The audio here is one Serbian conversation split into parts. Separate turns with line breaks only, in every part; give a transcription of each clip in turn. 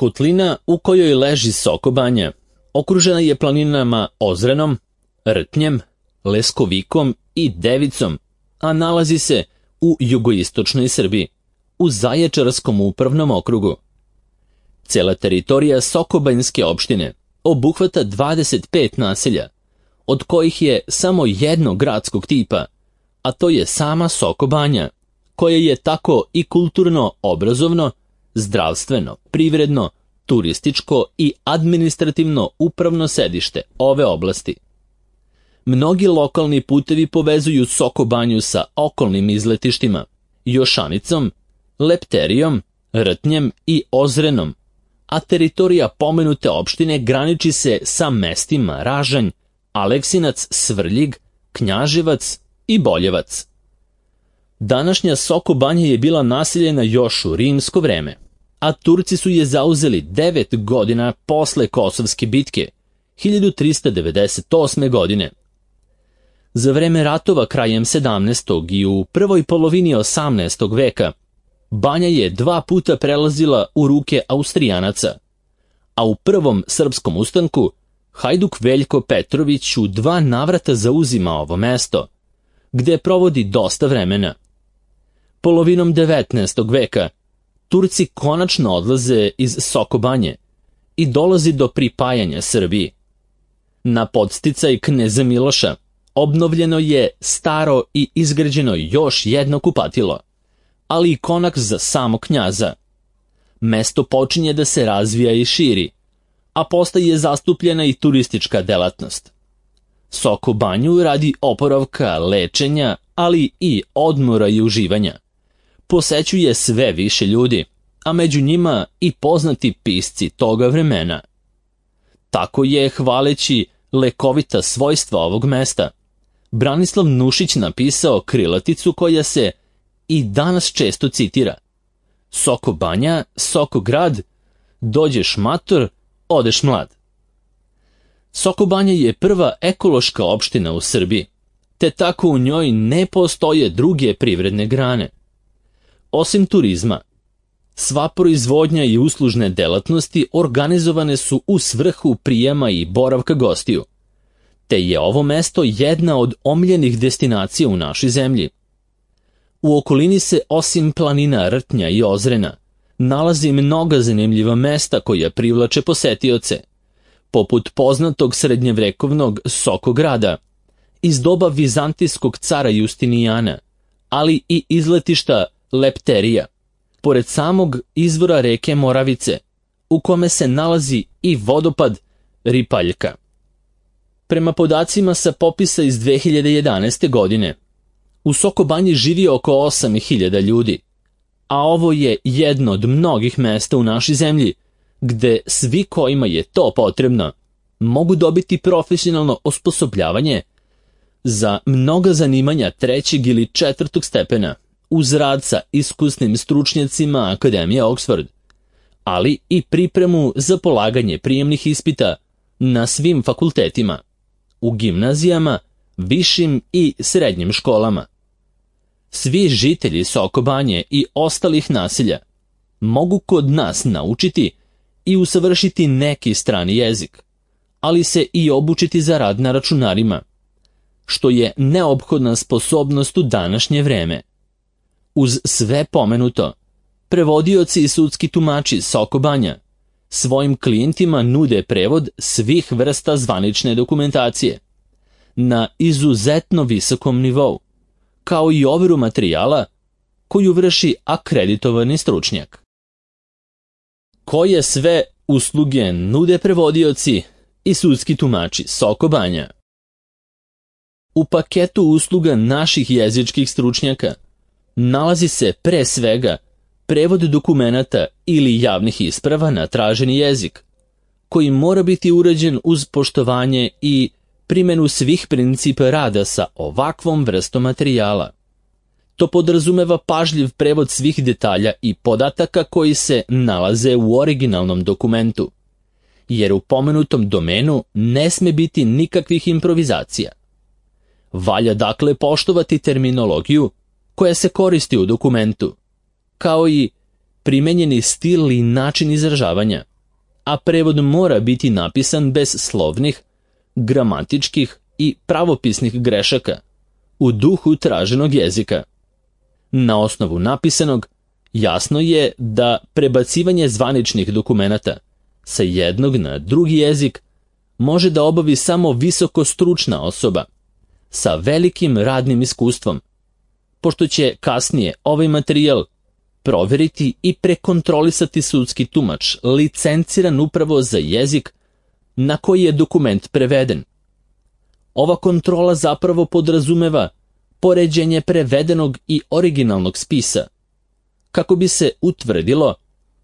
Kotlina u kojoj leži Soko Banja okružena je planinama Ozrenom, Rtnjem, Leskovikom i Devicom, a nalazi se u jugoistočnoj Srbiji, u Zaječarskom upravnom okrugu. Cela teritorija Sokobanjske opštine obuhvata 25 naselja, od kojih je samo jedno gradskog tipa, a to je sama Soko Banja, koja je tako i kulturno, obrazovno, zdravstveno, privredno, turističko i administrativno upravno sedište ove oblasti. Mnogi lokalni putevi povezuju Soko Banju sa okolnim izletištima, Jošanicom, Lepterijom, Rtnjem i Ozrenom, a teritorija pomenute opštine graniči se sa mestima Ražanj, Aleksinac, Svrljig, Knjaževac i Boljevac. Današnja Soko Banja je bila naseljena još u rimsko vreme, a Turci su je zauzeli 9 godina posle Kosovske bitke, 1398. godine. Za vreme ratova krajem 17. i u prvoj polovini 18. veka, Banja je 2 puta prelazila u ruke Austrijanaca, a u prvom srpskom ustanku Hajduk Veljko Petrović u 2 navrata zauzima ovo mesto, gde provodi dosta vremena. Polovinom 19. veka Turci konačno odlaze iz Soko Banje i dolazi do pripajanja Srbiji. Na podsticaj kneza Miloša obnovljeno je staro i izgrađeno još jedno kupatilo, ali i konak za samog knjaza. Mesto počinje da se razvija i širi, a postaje zastupljena i turistička delatnost. Soko Banju radi oporavka, lečenja, ali i odmora i uživanja posećuje sve više ljudi, a među njima i poznati pisci toga vremena. Tako je, hvaleći lekovita svojstva ovog mesta, Branislav Nušić napisao krilaticu koja se i danas često citira: Soko Banja, Soko grad, dođeš mator, odeš mlad. Soko Banja je prva ekološka opština u Srbiji, te tako u njoj ne postoje druge privredne grane. Osim turizma, sva proizvodnja i uslužne delatnosti organizovane su u svrhu prijema i boravka gostiju, te je ovo mesto jedna od omiljenih destinacija u našoj zemlji. U okolini se osim planina Rtnja i Ozrena nalazi mnoga zanimljiva mesta koja privlače posetioce, poput poznatog srednjevrekovnog Soko grada iz doba vizantijskog cara Justinijana, ali i izletišta Lepterija, pored samog izvora reke Moravice, u kome se nalazi i vodopad Ripaljka. Prema podacima sa popisa iz 2011. godine, u Soko Banji živi oko 8.000 ljudi, a ovo je jedno od mnogih mesta u našoj zemlji gde svi kojima je to potrebno mogu dobiti profesionalno osposobljavanje za mnoga zanimanja 3. ili 4. stepena uz rad sa iskusnim stručnjacima Akademije Oxford, ali i pripremu za polaganje prijemnih ispita na svim fakultetima, u gimnazijama, višim i srednjim školama. Svi žitelji Soko Banje i ostalih naselja mogu kod nas naučiti i usavršiti neki strani jezik, ali se i obučiti za rad na računarima, što je neophodna sposobnost u današnje vreme. Uz sve pomenuto, prevodioci i sudski tumači Soko Banja svojim klijentima nude prevod svih vrsta zvanične dokumentacije na izuzetno visokom nivou, kao i overu materijala koju vrši akreditovani stručnjak. Koje sve usluge nude prevodioci i sudski tumači Soko Banja? U paketu usluga naših jezičkih stručnjaka nalazi se pre svega prevod dokumenata ili javnih isprava na traženi jezik, koji mora biti urađen uz poštovanje i primjenu svih principa rada sa ovakvom vrstom materijala. To podrazumeva pažljiv prevod svih detalja i podataka koji se nalaze u originalnom dokumentu, jer u pomenutom domenu ne sme biti nikakvih improvizacija. Valja dakle poštovati terminologiju koja se koristi u dokumentu, kao i primenjeni stil i način izražavanja, a prevod mora biti napisan bez slovnih, gramatičkih i pravopisnih grešaka, u duhu traženog jezika. Na osnovu napisanog, jasno je da prebacivanje zvaničnih dokumenata sa jednog na drugi jezik može da obavi samo visoko stručna osoba sa velikim radnim iskustvom, pošto će kasnije ovaj materijal proveriti i prekontrolisati sudski tumač, licenciran upravo za jezik na koji je dokument preveden. Ova kontrola zapravo podrazumeva poređenje prevedenog i originalnog spisa, kako bi se utvrdilo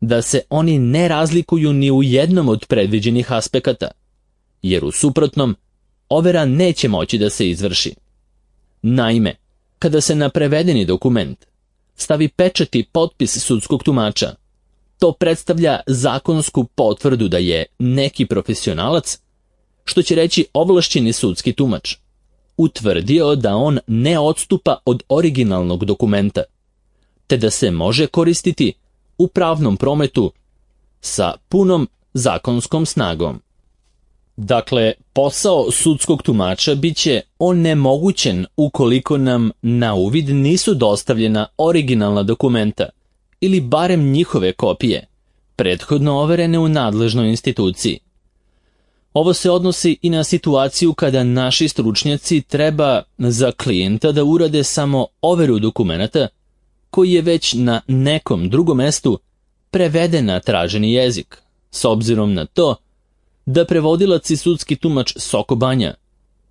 da se oni ne razlikuju ni u jednom od predviđenih aspekata, jer u suprotnom overa neće moći da se izvrši. Naime, kada se na prevedeni dokument stavi pečat i potpis sudskog tumača, to predstavlja zakonsku potvrdu da je neki profesionalac, što će reći ovlašćeni sudski tumač, utvrdio da on ne odstupa od originalnog dokumenta, te da se može koristiti u pravnom prometu sa punom zakonskom snagom. Dakle, posao sudskog tumača biće onemogućen ukoliko nam na uvid nisu dostavljena originalna dokumenta ili barem njihove kopije, prethodno overene u nadležnoj instituciji. Ovo se odnosi i na situaciju kada naši stručnjaci treba za klijenta da urade samo overu dokumenata koji je već na nekom drugom mestu preveden na traženi jezik, s obzirom na to da prevodilac i sudski tumač Soko Banja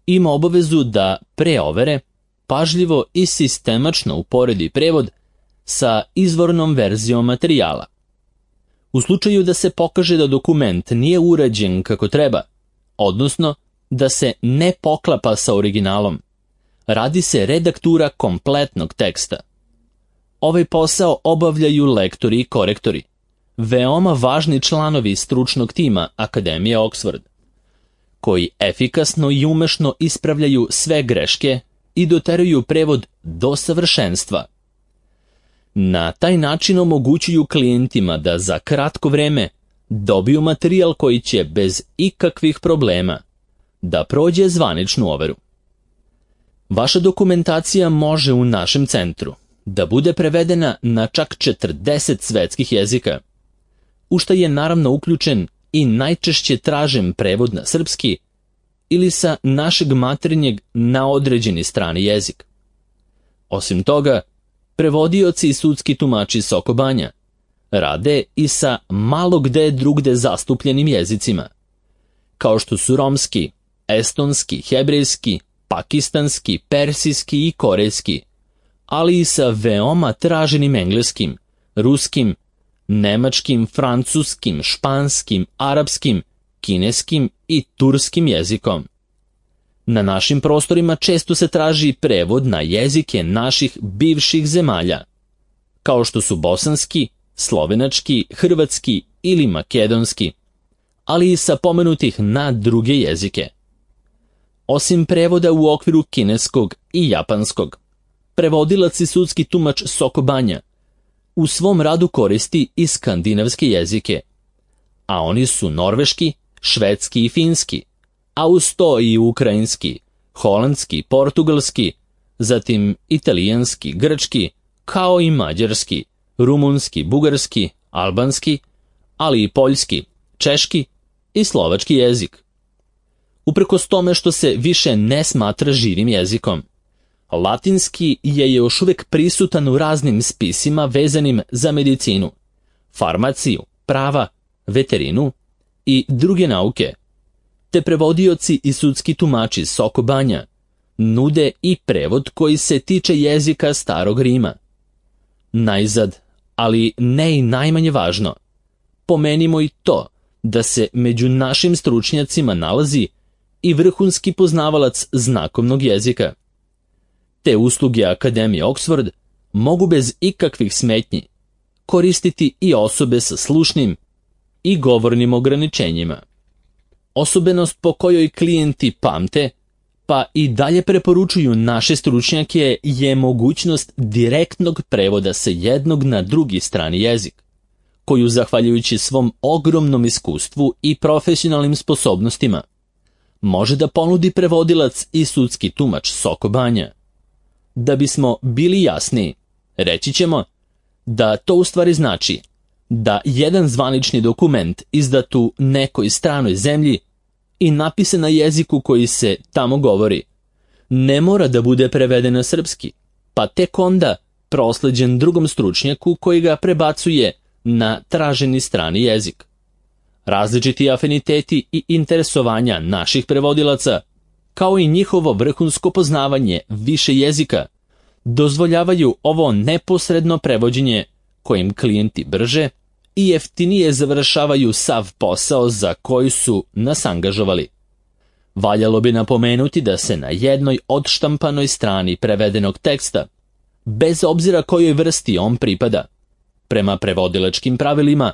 ima obavezu da pre overe pažljivo i sistemačno uporedi prevod sa izvornom verzijom materijala. U slučaju da se pokaže da dokument nije urađen kako treba, odnosno da se ne poklapa sa originalom, radi se redaktura kompletnog teksta. Ovaj posao obavljaju lektori i korektori, veoma važni članovi stručnog tima Akademije Oxford, koji efikasno i umešno ispravljaju sve greške i doteruju prevod do savršenstva. Na taj način omogućuju klijentima da za kratko vreme dobiju materijal koji će bez ikakvih problema da prođe zvaničnu overu. Vaša dokumentacija može u našem centru da bude prevedena na čak 40 svetskih jezika, u što je naravno uključen i najčešće tražen prevod na srpski ili sa našeg maternjeg na određeni strani jezik. Osim toga, prevodioci i sudski tumači Soko Banja rade i sa malo gde drugde zastupljenim jezicima, kao što su romski, estonski, hebrejski, pakistanski, persijski i korejski, ali i sa veoma traženim engleskim, ruskim, nemačkim, francuskim, španskim, arapskim, kineskim i turskim jezikom. Na našim prostorima često se traži prevod na jezike naših bivših zemalja, kao što su bosanski, slovenački, hrvatski ili makedonski, ali i sa pomenutih na druge jezike. Osim prevoda u okviru kineskog i japanskog, prevodilac i sudski tumač Soko Banja u svom radu koristi i skandinavske jezike, a oni su norveški, švedski i finski, a uz to i ukrajinski, holandski, portugalski, zatim italijanski, grčki, kao i mađarski, rumunski, bugarski, albanski, ali i poljski, češki i slovački jezik. Uprkos tome što se više ne smatra živim jezikom, latinski je još uvijek prisutan u raznim spisima vezanim za medicinu, farmaciju, prava, veterinu i druge nauke, te prevodioci i sudski tumači Soko Banja nude i prevod koji se tiče jezika Starog Rima. Najzad, ali ne i najmanje važno, pomenimo i to da se među našim stručnjacima nalazi i vrhunski poznavalac znakovnog jezika. Te usluge Akademije Oxford mogu bez ikakvih smetnji koristiti i osobe sa slušnim i govornim ograničenjima. Osobenost po kojoj klijenti pamte, pa i dalje preporučuju naše stručnjake, je mogućnost direktnog prevoda sa jednog na drugi strani jezik. koju, zahvaljujući svom ogromnom iskustvu i profesionalnim sposobnostima, može da ponudi prevodilac i sudski tumač Soko Banja. Da bismo bili jasniji, reći ćemo da to u stvari znači da jedan zvanični dokument izdat u nekoj stranoj zemlji i napisan na jeziku koji se tamo govori, ne mora da bude preveden na srpski, pa tek onda prosleđen drugom stručnjaku koji ga prebacuje na traženi strani jezik. Različiti afiniteti i interesovanja naših prevodilaca, kao i njihovo vrhunsko poznavanje više jezika, dozvoljavaju ovo neposredno prevođenje kojim klijenti brže i jeftinije završavaju sav posao za koji su nas angažovali. Valjalo bi napomenuti da se na jednoj odštampanoj strani prevedenog teksta, bez obzira kojoj vrsti on pripada, prema prevodilačkim pravilima,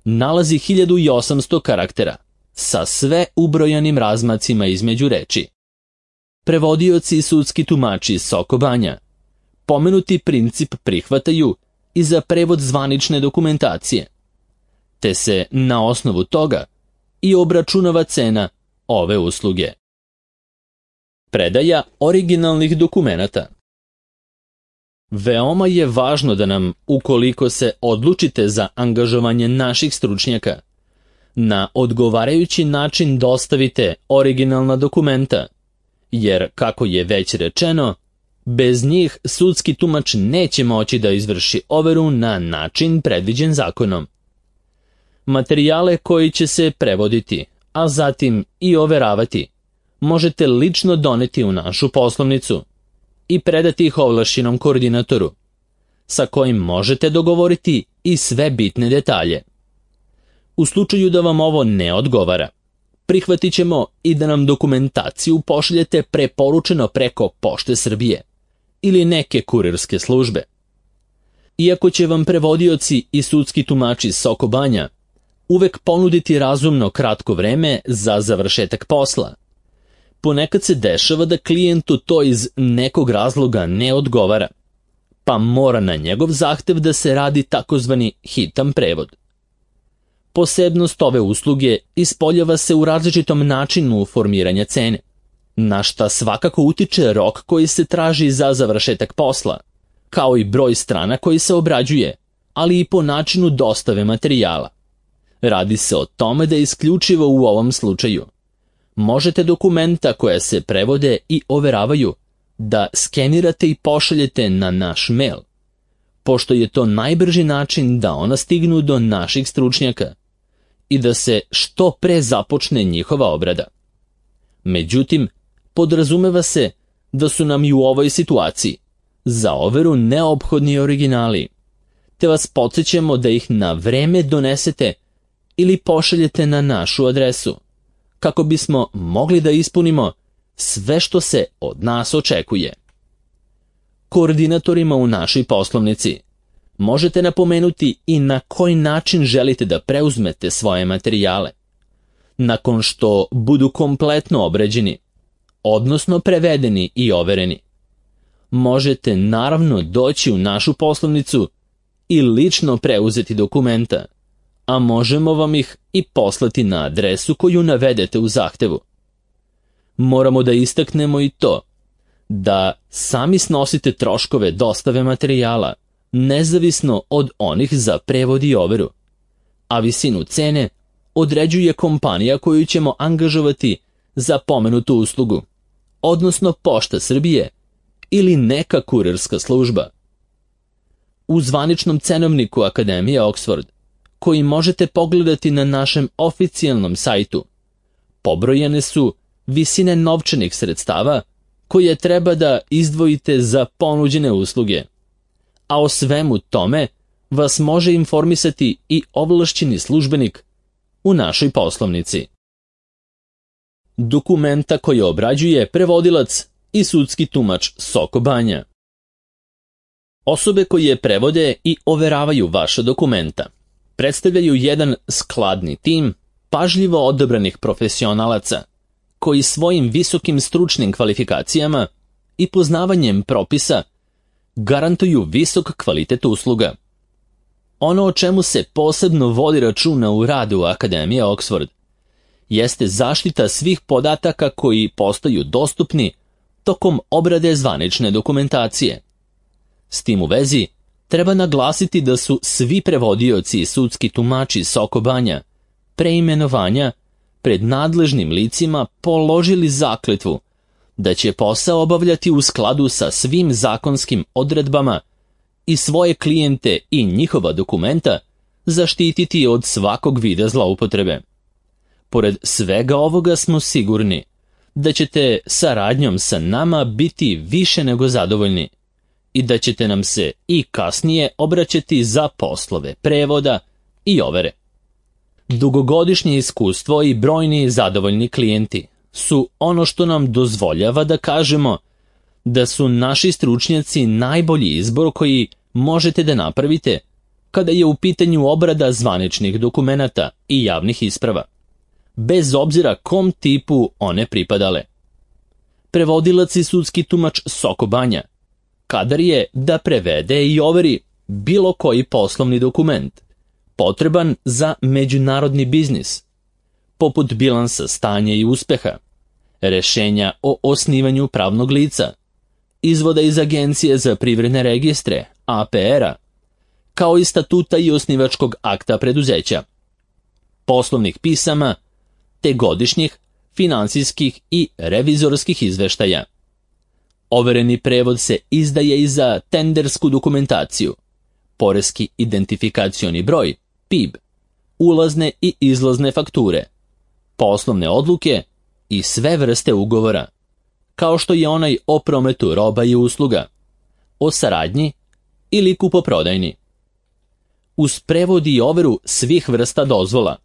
nalazi 1800 karaktera sa sve ubrojanim razmacima između reči. Prevodioci i sudski tumači Soko Banja pomenuti princip prihvataju i za prevod zvanične dokumentacije, te se na osnovu toga i obračunava cena ove usluge. Predaja originalnih dokumenata. Veoma je važno da nam, ukoliko se odlučite za angažovanje naših stručnjaka, na odgovarajući način dostavite originalna dokumenta, jer, kako je već rečeno, bez njih sudski tumač neće moći da izvrši overu na način predviđen zakonom. Materijale koji će se prevoditi, a zatim i overavati, možete lično doneti u našu poslovnicu i predati ih ovlašćenom koordinatoru, sa kojim možete dogovoriti i sve bitne detalje. U slučaju da vam ovo ne odgovara, prihvatit ćemo i da nam dokumentaciju pošaljete preporučeno preko Pošte Srbije ili neke kurirske službe. Iako će vam prevodioci i sudski tumači Soko Banja uvek ponuditi razumno kratko vreme za završetak posla, ponekad se dešava da klijentu to iz nekog razloga ne odgovara, pa mora na njegov zahtev da se radi takozvani hitan prevod. Posebnost ove usluge ispoljava se u različitom načinu formiranja cene, na šta svakako utiče rok koji se traži za završetak posla, kao i broj strana koji se obrađuje, ali i po načinu dostave materijala. Radi se o tome da isključivo u ovom slučaju možete dokumenta koja se prevode i overavaju da skenirate i pošaljete na naš mail, pošto je to najbrži način da ona stignu do naših stručnjaka i da se što pre započne njihova obrada. Međutim, podrazumeva se da su nam i u ovoj situaciji za overu neophodni originali, te vas podsjećamo da ih na vreme donesete ili pošaljete na našu adresu, kako bismo mogli da ispunimo sve što se od nas očekuje. Koordinatorima u našoj poslovnici možete napomenuti i na koji način želite da preuzmete svoje materijale. Nakon što budu kompletno obrađeni, odnosno prevedeni i overeni, možete naravno doći u našu poslovnicu i lično preuzeti dokumenta, a možemo vam ih i poslati na adresu koju navedete u zahtevu. Moramo da istaknemo i to da sami snosite troškove dostave materijala, nezavisno od onih za prevod i overu, a visinu cene određuje kompanija koju ćemo angažovati za pomenutu uslugu, odnosno Pošta Srbije ili neka kurirska služba. U zvaničnom cenovniku Akademije Oxford, koji možete pogledati na našem oficijalnom sajtu, pobrojane su visine novčanih sredstava koje treba da izdvojite za ponuđene usluge, a o svemu tome vas može informisati i ovlašćeni službenik u našoj poslovnici. Dokumenta koje obrađuje prevodilac i sudski tumač Soko Banja. Osobe koje prevode i overavaju vaša dokumenta predstavljaju jedan skladni tim pažljivo odabranih profesionalaca koji svojim visokim stručnim kvalifikacijama i poznavanjem propisa garantuju visok kvalitet usluga. Ono o čemu se posebno vodi računa u radu Akademije Oxford jeste zaštita svih podataka koji postaju dostupni tokom obrade zvanične dokumentacije. S tim u vezi, treba naglasiti da su svi prevodioci i sudski tumači Soko Banja pre imenovanja pred nadležnim licima položili zakletvu da će posao obavljati u skladu sa svim zakonskim odredbama i svoje klijente i njihova dokumenta zaštititi od svakog vida zloupotrebe. Pored svega ovoga smo sigurni da ćete saradnjom sa nama biti više nego zadovoljni i da ćete nam se i kasnije obraćati za poslove prevoda i overe. Dugogodišnje iskustvo i brojni zadovoljni klijenti su ono što nam dozvoljava da kažemo da su naši stručnjaci najbolji izbor koji možete da napravite kada je u pitanju obrada zvaničnih dokumenata i javnih isprava, bez obzira kom tipu one pripadale. Prevodilac i sudski tumač Soko Banja kadar je da prevede i overi bilo koji poslovni dokument potreban za međunarodni biznis, poput bilansa stanja i uspeha, rešenja o osnivanju pravnog lica, izvoda iz Agencije za privredne registre, APR-a, kao i statuta i osnivačkog akta preduzeća, poslovnih pisama, te godišnjih, finansijskih i revizorskih izveštaja. Overeni prevod se izdaje i za tendersku dokumentaciju, poreski identifikacioni broj, PIB, ulazne i izlazne fakture, poslovne odluke i sve vrste ugovora, kao što je onaj o prometu roba i usluga, o saradnji ili kupoprodajni. Uz prevod i overu svih vrsta dozvola,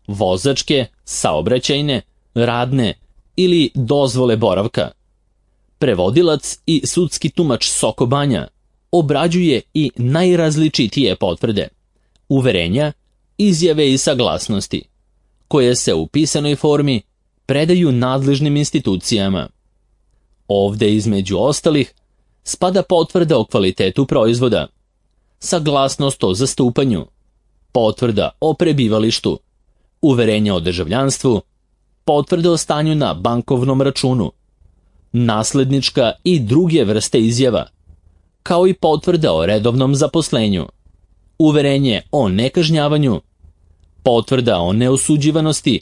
vozačke, saobraćajne, radne ili dozvole boravka, prevodilac i sudski tumač Soko Banja obrađuje i najrazličitije potvrde, uverenja, izjave i saglasnosti, koje se u pisanoj formi predaju nadležnim institucijama. Ovde, između ostalih, spada potvrda o kvalitetu proizvoda, saglasnost o zastupanju, potvrda o prebivalištu, uverenje o državljanstvu, potvrda o stanju na bankovnom računu, naslednička i druge vrste izjava, kao i potvrda o redovnom zaposlenju, uverenje o nekažnjavanju, potvrda o neosuđivanosti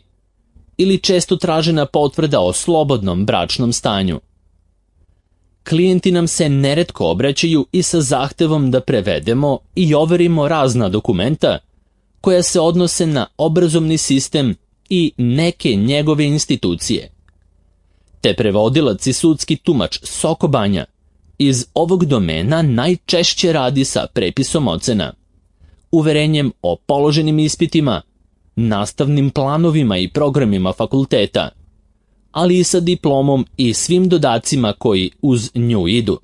ili često tražena potvrda o slobodnom bračnom stanju. Klijenti nam se neretko obraćaju i sa zahtevom da prevedemo i overimo razna dokumenta koja se odnose na obrazovni sistem i neke njegove institucije. Te prevodilac i sudski tumač Soko Banja iz ovog domena najčešće radi sa prepisom ocena, uverenjem o položenim ispitima, nastavnim planovima i programima fakulteta, ali i sa diplomom i svim dodacima koji uz nju idu,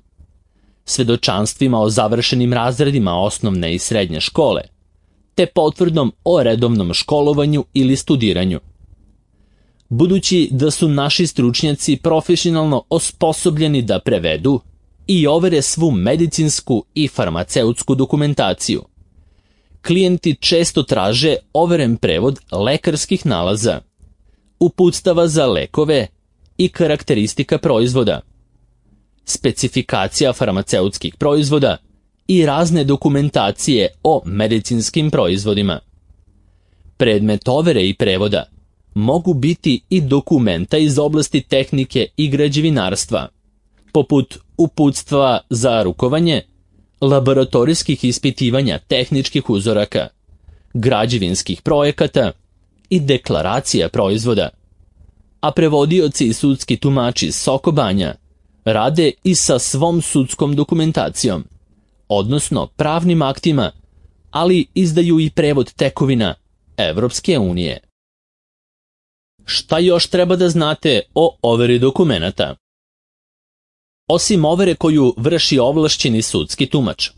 svedočanstvima o završenim razredima osnovne i srednje škole, te potvrdom o redovnom školovanju ili studiranju. Budući da su naši stručnjaci profesionalno osposobljeni da prevedu i overe svu medicinsku i farmaceutsku dokumentaciju, klijenti često traže overen prevod lekarskih nalaza, uputstava za lekove i karakteristika proizvoda, specifikacija farmaceutskih proizvoda i razne dokumentacije o medicinskim proizvodima. Predmet overe i prevoda mogu biti i dokumenta iz oblasti tehnike i građevinarstva, poput uputstva za rukovanje, laboratorijskih ispitivanja tehničkih uzoraka, građevinskih projekata i deklaracija proizvoda. A prevodioci i sudski tumači Soko Banja rade i sa svom sudskom dokumentacijom, odnosno pravnim aktima, ali izdaju i prevod tekovina Evropske unije. Šta još treba da znate o overi dokumenata? Osim overe koju vrši ovlašćeni sudski tumač,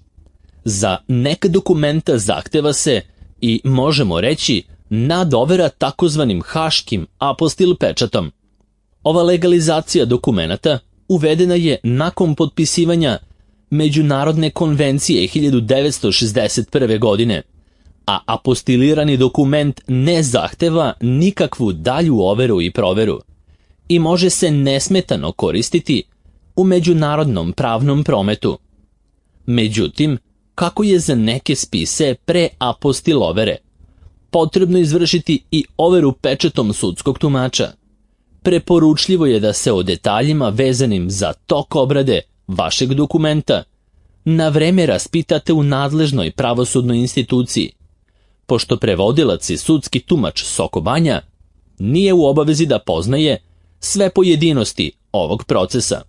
za neka dokumenta zahteva se i možemo reći nadovera takozvanim haškim apostil pečatom. Ova legalizacija dokumenata uvedena je nakon potpisivanja Međunarodne konvencije 1961. godine a apostilirani dokument ne zahteva nikakvu dalju overu i proveru i može se nesmetano koristiti u međunarodnom pravnom prometu. Međutim, kako je za neke spise pre apostil overe, potrebno izvršiti i overu pečatom sudskog tumača. Preporučljivo je da se o detaljima vezanim za tok obrade vašeg dokumenta na vreme raspitate u nadležnoj pravosudnoj instituciji, pošto prevodilac i sudski tumač Soko Banja nije u obavezi da poznaje sve pojedinosti ovog procesa.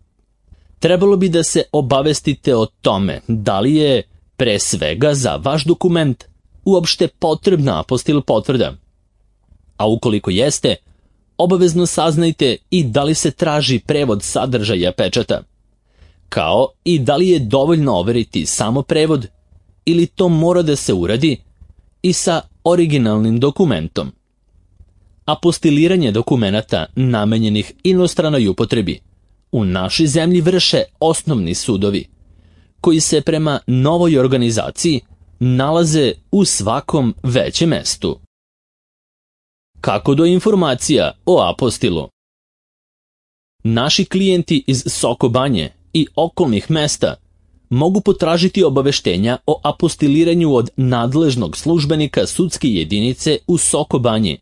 Trebalo bi da se obavestite o tome da li je, pre svega za vaš dokument, uopšte potrebna apostil potvrda. A ukoliko jeste, obavezno saznajte i da li se traži prevod sadržaja pečata, kao i da li je dovoljno overiti samo prevod ili to mora da se uradi i sa originalnim dokumentom. Apostiliranje dokumenata namenjenih inostranoj upotrebi u našoj zemlji vrše osnovni sudovi, koji se prema novoj organizaciji nalaze u svakom većem mestu. Kako do informacija o apostilu? Naši klijenti iz Soko Banje i okolnih mesta mogu potražiti obaveštenja o apostiliranju od nadležnog službenika sudske jedinice u Soko Banji,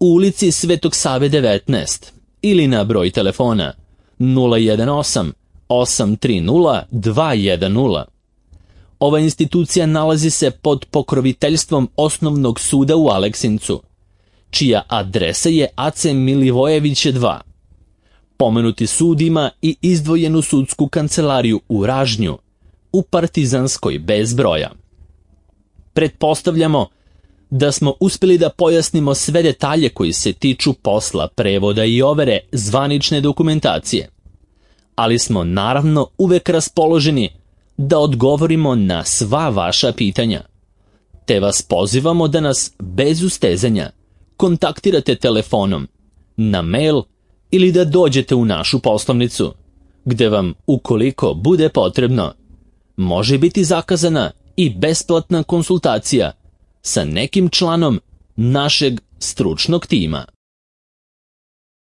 u ulici Svetog Save 19 ili na broj telefona 018 830 210. Ova institucija nalazi se pod pokroviteljstvom Osnovnog suda u Aleksincu, čija adresa je AC Milivojeviće 2. Pomenuti sud ima i izdvojenu sudsku kancelariju u Ražnju, u Partizanskoj bez broja. Pretpostavljamo da smo uspjeli da pojasnimo sve detalje koji se tiču posla prevoda i overe zvanične dokumentacije, ali smo naravno uvek raspoloženi da odgovorimo na sva vaša pitanja, te vas pozivamo da nas bez ustezanja kontaktirate telefonom, na mail ili da dođete u našu poslovnicu, gde vam, ukoliko bude potrebno, može biti zakazana i besplatna konsultacija sa nekim članom našeg stručnog tima.